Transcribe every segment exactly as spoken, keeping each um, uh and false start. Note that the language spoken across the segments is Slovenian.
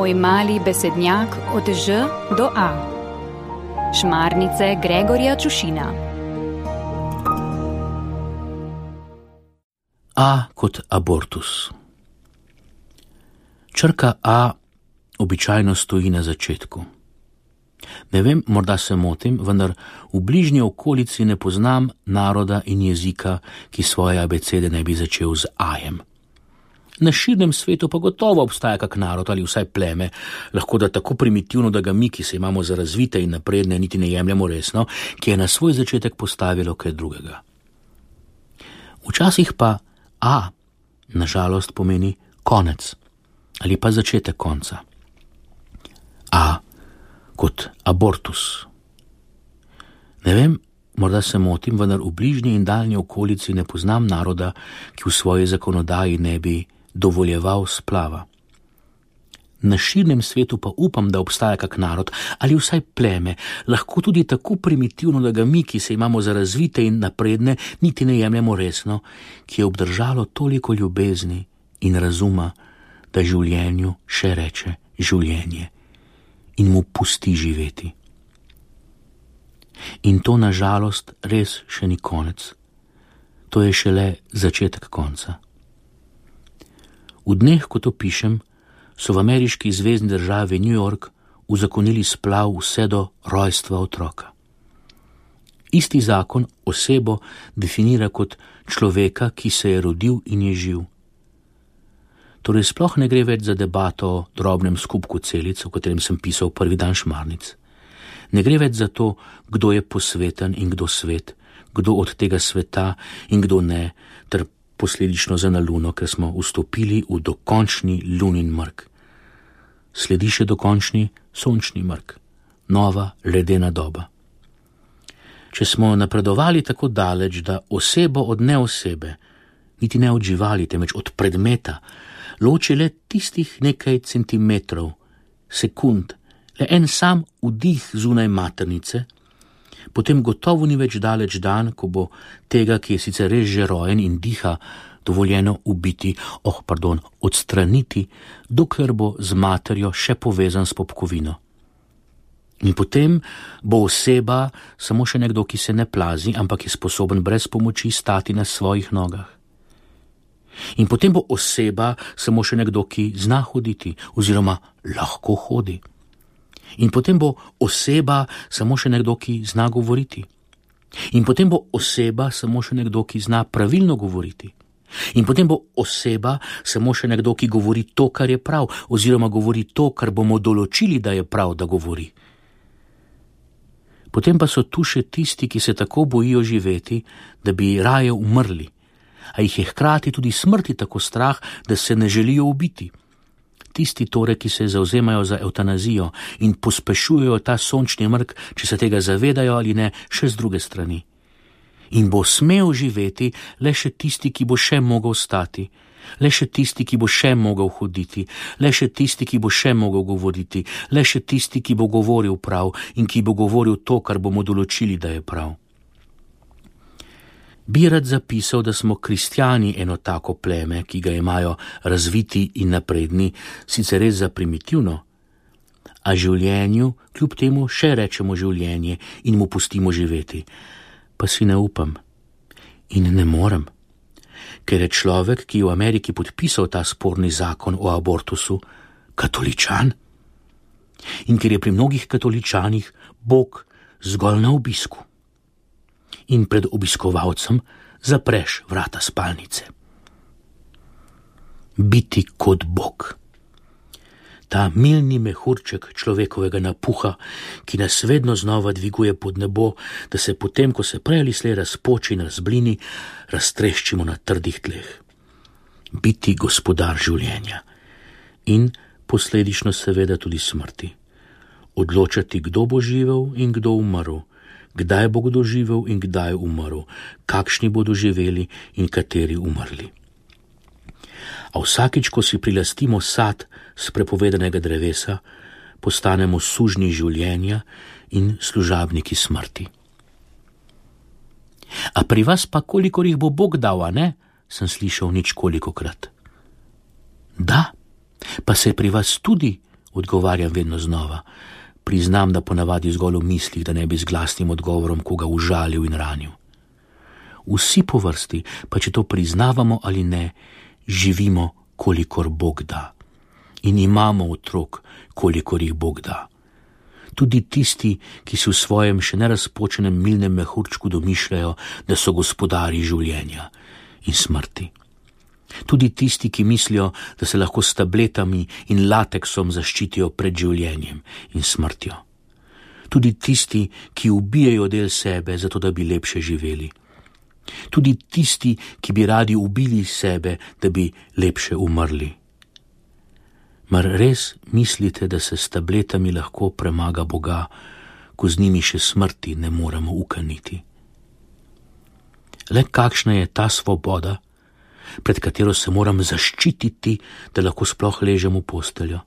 Moj mali besednjak od Ž do A. Šmarnice Gregorja Čušina. A kot abortus. Črka A običajno stoji na začetku. Ne vem, morda se motim, vendar v bližnji okolici ne poznam naroda in jezika, ki svoje abecede ne bi začel z ajem. Na širnem svetu pa gotovo obstaja kak narod ali vsaj pleme, lahko da tako primitivno, da ga mi, ki se imamo za razvite in napredne, niti ne jemljemo resno, ki je na svoj začetek postavilo kaj drugega. Včasih pa A, nažalost, pomeni konec ali pa začetek konca. A kot abortus. Ne vem, morda se motim, vendar v bližnji in daljni okolici ne poznam naroda, ki v svoji zakonodaji ne bi dovoljeval splava. Na širnem svetu pa upam, da obstaja kak narod ali vsaj pleme, lahko tudi tako primitivno, da ga mi, ki se imamo za razvite in napredne, niti ne jemljemo resno, ki je obdržalo toliko ljubezni in razuma, da življenju še reče življenje in mu pusti živeti. In to nažalost res še ni konec. To je šele začetek konca. V dneh, ko to pišem, so v ameriški zvezni državi New York uzakonili splav vse do rojstva otroka. Isti zakon osebo definira kot človeka, ki se je rodil in je živ. Torej sploh ne gre več za debato o drobnem skupku celic, o katerem sem pisal prvi dan Šmarnic. Ne gre več za to, kdo je posveten in kdo svet, kdo od tega sveta in kdo ne, ter posledično za na luno, ker smo vstopili v dokončni lunin mrk. Sledi še dokončni sončni mrk, nova ledena doba. Če smo napredovali tako daleč, da osebo od neosebe, niti ne od živali, temveč od predmeta, loči le tistih nekaj centimetrov, sekund, le en sam vdih zunaj maternice, potem gotovo ni več daleč dan, ko bo tega, ki je sicer res že rojen in diha, dovoljeno ubiti, oh, pardon, odstraniti, dokler bo z materjo še povezan s popkovino. In potem bo oseba samo še nekdo, ki se ne plazi, ampak je sposoben brez pomoči stati na svojih nogah. In potem bo oseba samo še nekdo, ki zna hoditi oziroma lahko hodi. In potem bo oseba samo še nekdo, ki zna govoriti. In potem bo oseba samo še nekdo, ki zna pravilno govoriti. In potem bo oseba samo še nekdo, ki govori to, kar je prav, oziroma govori to, kar bomo določili, da je prav, da govori. Potem pa so tu še tisti, ki se tako bojijo živeti, da bi raje umrli, a jih je hkrati tudi smrti tako strah, da se ne želijo ubiti. Tisti torej, ki se zavzemajo za evtanazijo in pospešujejo ta sončni mrk, če se tega zavedajo ali ne, še z druge strani. In bo smel živeti le še tisti, ki bo še mogel stati, le še tisti, ki bo še mogel hoditi, le še tisti, ki bo še mogel govoriti, le še tisti, ki bo govoril prav in ki bo govoril to, kar bomo določili, da je prav. Bi rad zapisal, da smo kristjani eno tako pleme, ki ga imajo razviti in napredni, sicer res za primitivno, a življenju kljub temu še rečemo življenje in mu pustimo živeti. Pa si ne upam in ne morem, ker je človek, ki je v Ameriki podpisal ta sporni zakon o abortusu, katoličan. In ker je pri mnogih katoličanih Bog zgolj na obisku. In pred obiskovalcem zapreš vrata spalnice. Biti kot Bog. Ta milni mehurček človekovega napuha, ki nas vedno znova dviguje pod nebo, da se potem, ko se prej ali slej razpoči in razblini, raztreščimo na trdih tleh. Biti gospodar življenja in posledično seveda tudi smrti. Odločati, kdo bo živel in kdo umrl, kdaj bo kdo živel in kdaj umrl, kakšni bodo živeli in kateri umrli. A vsakič, ko si prilastimo sad z prepovedanega drevesa, postanemo sužnji življenja in služabniki smrti. A pri vas pa kolikor jih bo Bog dal, a ne? Sem slišal nič kolikokrat. Da, pa se je pri vas tudi Odgovarjam vedno znova. Priznam, da ponavadi zgolj v mislih, da ne bi z glasnim odgovorom koga užalil in ranil. Vsi po vrsti, pa če to priznavamo ali ne, živimo, kolikor Bog da. In imamo otrok, kolikor jih Bog da. Tudi tisti, ki si v svojem še nerazpočenem milnem mehurčku domišljajo, da so gospodari življenja in smrti. Tudi tisti, ki mislijo, da se lahko s tabletami in lateksom zaščitijo pred življenjem in smrtjo. Tudi tisti, ki ubijajo del sebe, zato da bi lepše živeli. Tudi tisti, ki bi radi ubili sebe, da bi lepše umrli. Mar res mislite, da se s tabletami lahko premaga Boga, ko z njimi še smrti ne moremo ukaniti? Le kakšna je ta svoboda, pred katero se moram zaščititi, da lahko sploh ležem v posteljo?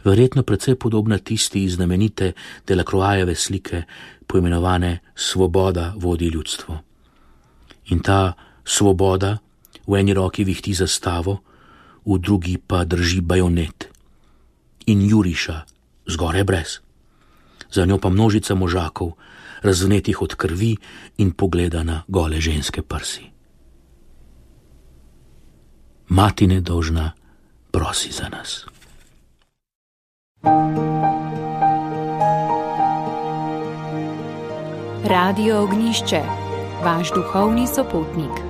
Verjetno precej podobna tisti iz znamenite Delacroixove slike, poimenovane Svoboda vodi ljudstvo. In ta svoboda v eni roki vihti zastavo, v drugi pa drži bajonet in juriša zgoraj brez. Za njo pa množica možakov, razvnetih od krvi in pogleda na gole ženske prsi. Mati nedolžna prosi za nas. Radio Ognjišče, vaš duhovni sopotnik.